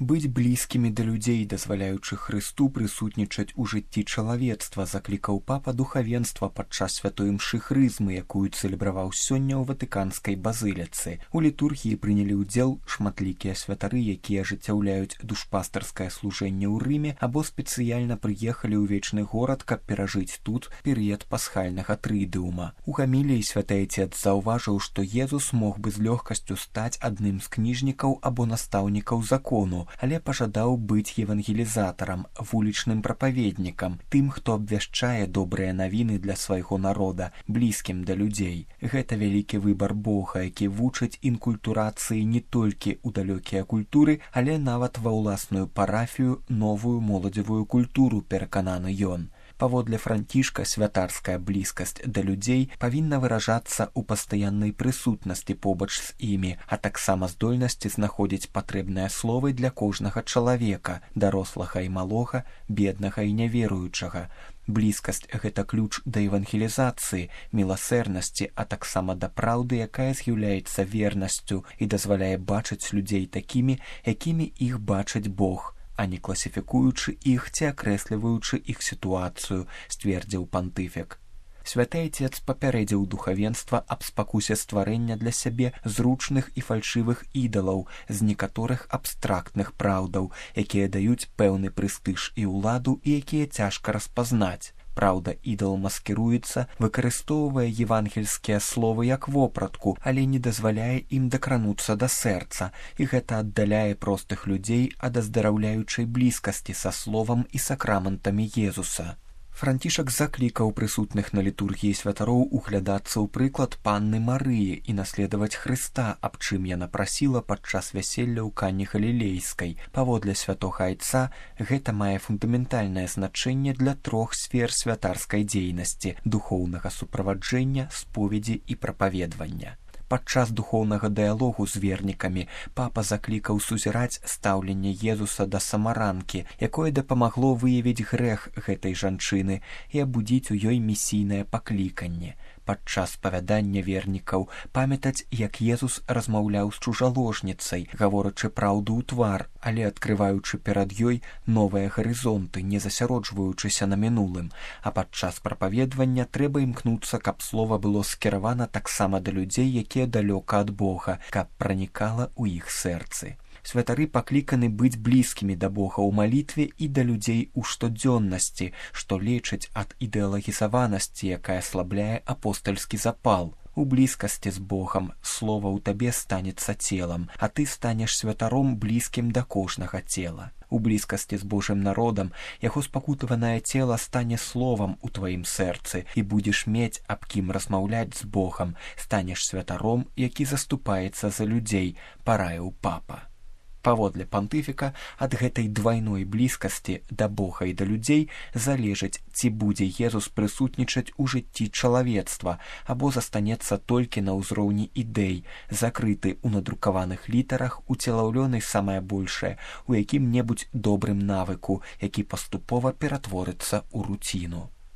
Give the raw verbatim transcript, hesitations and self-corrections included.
Быць блізкімі да людзей, дазваляючы Хрысту прысутнічаць у жыцці чалавецтва, заклікаў папа духавенства падчас святой імшы хрызмы, якую цэлебраваў сёння ў ватыканскай базыліцы. У літургіі прынялі ўдзел шматлікія святары, якія ажыццяўляюць душпастарскае служэнне ў Рыме або спецыяльна прыехалі ў вечны горад, каб перажыць тут перыяд пасхальнага трыдыума. У гаміліі святы Айцец заўважыў, што Езус мог бы з лёгкасцю стаць адным з кніжнікаў або настаўнікаў закону, але пажадаў быць евангелізатарам, вулічным прапаведнікам, тым, хто абвяшчае добрыя навіны для свайго народа, блізкім да людзей. Гэта вялікі выбар Бога, які вучыць інкультурацыі не толькі ў далёкія культуры, але нават ва ўласную парафію, новую моладзевую культуру, перакананы ён. Паводле Францішка, святарская блізкасць да людзей павінна выражацца ў пастаяннай прысутнасці побач з імі, а таксама здольнасці знаходзіць патрэбныя словы для кожнага чалавека, дарослага і малога, беднага і няверуючага. Блізкасць – гэта ключ да евангелізацыі, міласэрнасці, а таксама да праўды, якая з'яўляецца вернасцю і дазваляе бачыць людзей такімі, якімі іх бачыць Бог, а не класіфікуючы іх ці акрэсліваючы іх сітуацыю, сцвердзіў пантыфік. Святы Айцец папярэдзіў духавенства аб спакусе стварэння для сябе зручных і фальшывых ідалаў з некаторых абстрактных праўдаў, якія даюць пэўны прэстыж і ўладу і якія цяжка распазнаць. Праўда, ідал маскіруецца, выкарыстоўвае евангельскія словы як вопратку, але не дазваляе ім дакрануцца да сэрца, і гэта аддаляе простых людзей ад аздараўляючай блізкасці са словам і сакраментамі Езуса. Францішак заклікаў прысутных на літургіі святароў углядацца ў прыклад панны Марыі і наследаваць Хрыста, аб чым яна прасіла падчас вяселля ў Кані Галілейскай. Паводле святога Айца, гэта мае фундаментальнае значэнне для трох сфер святарскай дзейнасці – духоўнага суправаджэння, споведзі і прапаведвання. Падчас духоўнага дыялогу з вернікамі папа заклікаў сузіраць стаўленне Езуса да самаранкі, якое дапамагло выявіць грэх гэтай жанчыны і абудзіць у ёй місійнае пакліканне. Падчас спавядання вернікаў памятаць, як Езус размаўляў з чужаложніцай, гаворачы праўду ў твар, але адкрываючы перад ёй новыя гарызонты, не засяроджваючыся на мінулым. А падчас прапаведвання трэба імкнуцца, каб слова было скіравана таксама да людзей, якія далёка ад Бога, каб пранікала ў іх сэрцы. Святары пакліканы быць блізкімі да Бога ў малітве і да людзей у штодзённасці, што лечыць ад ідэалагізаванасці, якая аслабляе апостальскі запал. У блізкасці з Богам слова ў табе станецца целам, а ты станеш святаром блізкім да кожнага цела. У блізкасці з Божым народам яго спакутаванае цела стане словам у тваім сэрцы і будзеш мець аб кім размаўляць з Богам, станеш святаром, які заступаецца за людзей, параіў папа. Паводле пантыфіка, ад гэтай двайной блізкасці да Бога і да людзей залежыць, ці будзе Езус прысутнічаць у жыцці чалавецтва або застанецца толькі на ўзроўні ідэй, закрыты ў надрукаваных літарах, уцелаўлёны самае большае у якім-небудзь добрым навыку, які паступова ператворыцца ў руціну.